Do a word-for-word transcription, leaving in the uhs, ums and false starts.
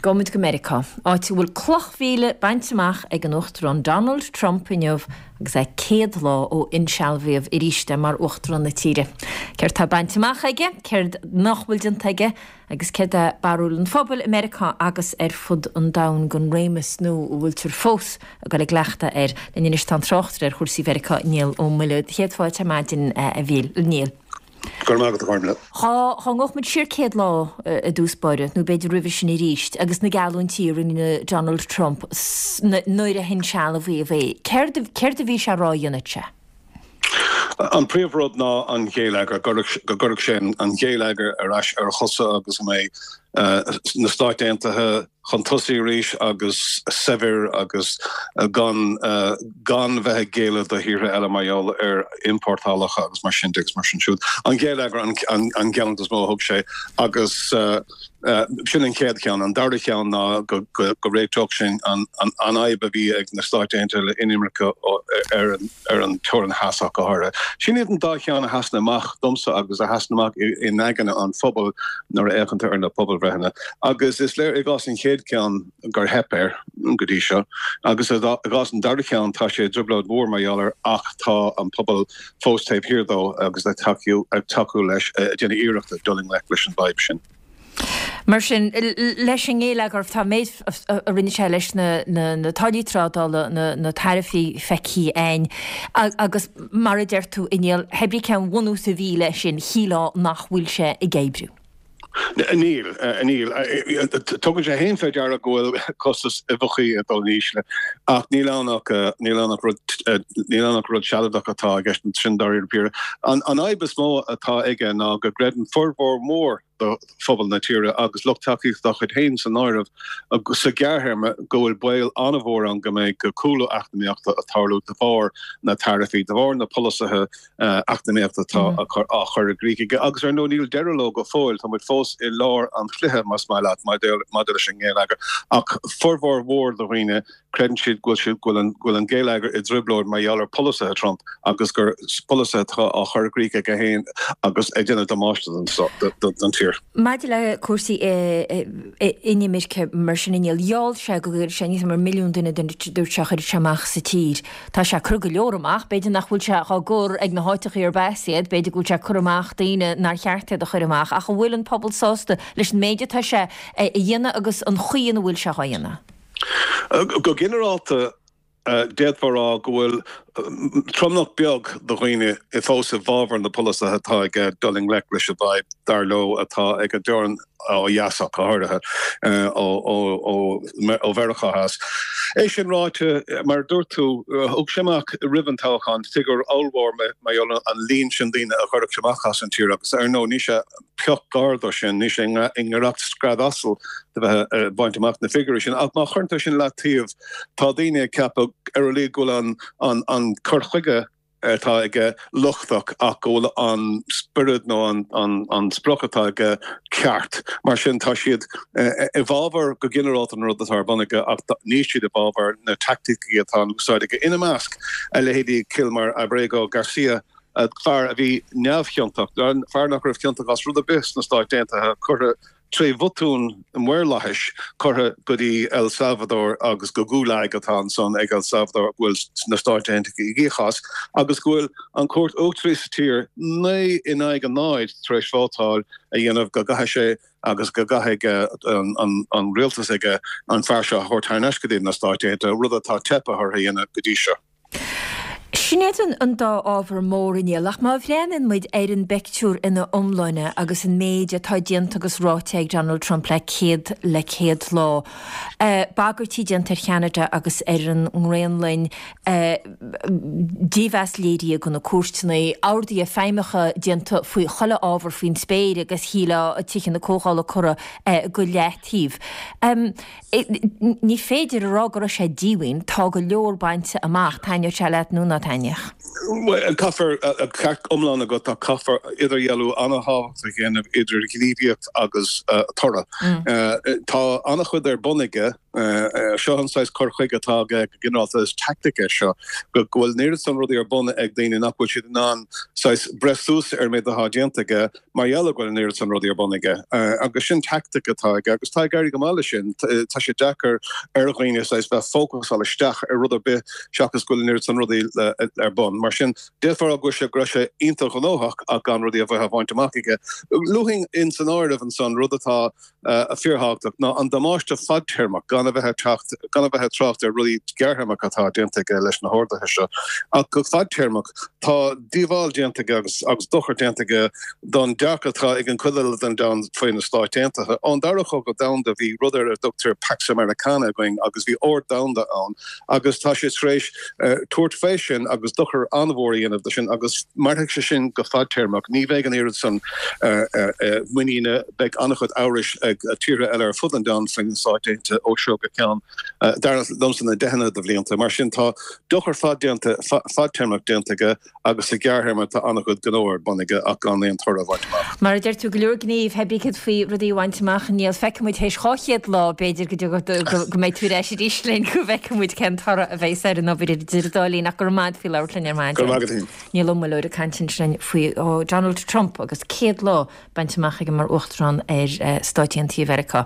Gabhfaidh muid go Meiriceá, áit a bhfuil cloch mhíle bainte amach ag an Uachtarán Donald Trump inniu agus é céad lá ó insealbhaíodh arís é mar Uachtarán na tíre. Céard tá bainte amach aige, céard nach bhfuil déanta aige agus céard é barúil an phobail i Meiriceá agus ar fud an domhain den réimeas nua a bhfuiltear fós ag dul i gcleachtadh air. Linn anois tá an tráchtaire ar chúrsaí Mheiriceá, Niall Ó Muilleoir. Céad fáilte ar maidin a Niall. Go raibh maith agat, a Chormla. Dá dá ngabhfadh muid siar céad lá i dtús báire, nó b'fhéidir roimhe sin arís, agus na geallúintí a rinne Donald Trump nuair a hinsealbhaíodh é, céard céard a bhí sé a rá a dhéanfadh sé? An príomhrud ná an géilleagar, go gcuirfeadh sé an géilleagar ar ais ar a chosa agus go mbeidh na Stáit Aontaithe chun tosaigh arís agus saibhir agus gan gan bheith ag géilleadh do thíortha eile mar gheall ar iompórtálacha agus mar sin de agus mar sin siúd. An géilleagar an an geallúint is mó a thug sé agus sin an chéad cheann. An dara cheann ná go go réiteodh sé an an fhadhb a bhí ag na Stáit Aontaithe le inimirce ar an ar an teorainn theas ach go háirithe. Sin iad an dá cheann a sheasann amach domsa agus a sheasann amach in aigne an phobail nuair a fhéachann tú ar na pobalbhreitheanna. Agus is léir i gcás an chéad cheann gur theip air go dtí seo, agus i gcás an dara ceann tá sé i dtrioblóid mhór mar gheall air ach tá an pobal fós taobh thiar dó agus ag tacú ag tacú leis ag déanamh iarrachta dul i ngleic leis an bhfadhb sin. Mar sin, leis an ngéilleagar, tá an méid a rinne sé leis na táillí trádála, na taraifí feicthe againn agus mar a deir tú, a Niall, pé ar bith cén bhunús a bhí leis sin, shílfeá nach bhfuil sé ag oibriú. Níl, níl. Tugann sé féin fé deara go bhfuil costas uibheachaí ag dul in ísle, ach níl ann ach, níl ann ach rud, níl ann ach rud sealadach atá i gceist ansin dáiríre píre. An fhadhb is mó atá aige ná go gcreideann formhór mór de phobal na tíre, agus lucht tacaíochta dá chuid féin san áireamh, sa ghearrthéarma go bhfuil baol an-mhór ann go mbeidh cúlú eacnamaíochta ag tarlú de bharr na taraifí, de bharr na polasaithe eacnamaíochta atá á chur i gcrích aige. Agus ar ndóigh níl deireadh leo go fóill, tá muid fós i lár an chluiche, más maith leat, maidir leis an ngéilleagar. Ach formhór mhór de dhaoine, creideann siad go bhfuil go bhfuil an géilleagar i dtrioblóid mar gheall ar pholasaithe Trump agus gur polasaithe atá á chur i gcrích aige féin agus ag déanamh damáiste don tír. Maidir le cúrsaí inimirce mar sin, a Niall, gheall sé go gcuirfeadh sé níos mó ná milliún duine dúirt sé a chuirfeadh sé amach sa tír. Tá sé ag cur go leor amach, b'fhéidir nach bhfuil sé á gcur ag na háiteachaí arb as iad, b'fhéidir go bhfuil sé ag cur amach daoine nár cheart iad a chur amach, ach an bhfuil an pobal sásta leis an méid atá sé a dhéanamh agus an chaoi ina bhfuil sé á dhéanamh? Go ginearálta, d'fhéadfá a rá go bhfuil tromlach beag de dhaoine fós i bhfabhar na polasaithe atá aige dul i ngleic leis an bhfadhb, dar leo, atá ag an dteorainn ó dheas ach go háirithe, ó Mheiriceá Theas. É sin ráite, mar a dúirt tú, thug sé amach roimh an toghchán figiúr ollmhór mar gheall ar an líon sin daoine a chuirfeadh sé amach as an tír agus, ar ndóigh, níl sé pioc gar dó sin, níl sé i ngiorracht scread asail de bheith ag baint amach na figiúirí sin. Ach má chuireann tú sin leataobh, tá daoine ag ceapadh ar a laghad go bhfuil an cur chuige atá aige lochtach ach go bhfuil an spiorad nó an sprioc atá aige ceart. Mar sin, tá siad i bhfabhar go ginearálta an rud atá ar bun aige ach níl siad i bhfabhar na teaicticí atá in úsáid aige, ina measc a leithéidí Kilmar Abrego Garcia, fear a bhí neamhchiontach, fear nach raibh ciontach as rud ar bith sna Stáit Aontaithe, curtha tré bhotún maorlathais curtha go dtí El Salvador agus go Gulag atá ansan ag El Salvador go bhfuil na Stáit Aontaithe ag íoc as agus go bhfuil an Chúirt Uachtaraí sa tír naoi in aghaidh a náid tar éis vótáil a dhéanamh go gcaithfidh sé agus go gcaithfidh an rialtas aige an fear seo a thabhairt thar n-ais go dtí na Stáit Aontaithe, rud atá teipthe orthu a dhéanamh go dtí seo. Sin iad an dá ábhar mór, a Niall, ach má bhreathnaíonn muid ar an bpeictiúr ina iomláine agus an méid atá déanta agus ráite ag Donald Trump le céad le céad lá, bagairtí déanta ar Cheanada agus ar an nGraonlainn, dímheas léirithe do na cúirteanna, orduithe feidhmeacha déanta faoi chuile ábhar faoin spéir agus shílfeá Tithe na Comhdhála curtha go leataobh. Ní féidir a rá go raibh sé díomhaoin, tá go leor bainte amach, taitneodh sé leat nó ná taitneodh. Bhuel, caithfear, ceart iomlán agat ach caithfear idirdhealú an-thábhachtach a dhéanamh idir gníomhaíocht agus toradh. Tá an-chuid ar bun aige Seo an saghas cur chuige atá aige go ginearálta, is tactic é seo, go bhfuil an oiread san rudaí ar bun ag daoine nach bhfuil siad in ann saghas breith suas ar an méid atá déanta aige mar gheall go bhfuil an oiread san rudaí ar bun aige. Agus sin tactic atá aige agus tá ag éirí go maith leis sin. Tá sé deacair ar dhaoine saghas bheith fócasáil isteach ar rud ar bith seachas go bhfuil an oiread san rudaí ar bun. Mar sin, d'fhéadfá a rá go bhfuil sé go raibh sé iontach gnóthach ach gan rudaí a bheith á bhaint amach aige. Luafainn in san áireamh ansan rud atá fíorthábhachtach ná an damáiste fadtéarmach, gan a bheith ag teacht, gan a bheith ag trácht ar rudaí gearrthéarmacha atá déanta aige leis na horduithe seo. Ach go fadtéarmach, tá díobháil déanta aige agus agus dochar déanta aige don dearcadh atá ag an chuid eile den domhan faoi na Stáit Aontaithe. Ón Dara Cogadh Domhanda bhí rud ar a dtugtar Pax Americana againn agus bhí ord domhanda ann agus tá sé tar éis tabhairt fé sin agus dochar an-mhór a dhéanamh de sin agus mairfidh sé sin go fadtéarmach. Ní bheidh an oiread san muiníne, beidh an-chuid amhrais ag tíortha eile ar fud an domhain faoi na Stáit Aontaithe ó seo go ceann, dar liomsa, na deicheanna de bhlianta. Mar sin tá dochar fadtéarmach déanta aige agus sa ghearrthéarma tá an-chuid gnó ar bun aige ach gan aon toradh a bhaint amach. Mar a deir tú, go leor gnímh, pé bí céard faoi rudaí a bhaint amach, Niall, feicfidh muid théis dhá chéad lá, b'fhéidir, go go mbeidh tú ar ais arís linn go bhfeicfidh muid cén toradh a bheas ar an obair idir an dá linn ach go raibh maith agat faoi labhairt linn ar maidin. Go raibh maith agat féin. Niall Ó Muilleoir ag caint ansin faoi Donald Trump agus céad lá bainte amach aige mar Uachtarán ar Stáit Aontaithe Mheiriceá.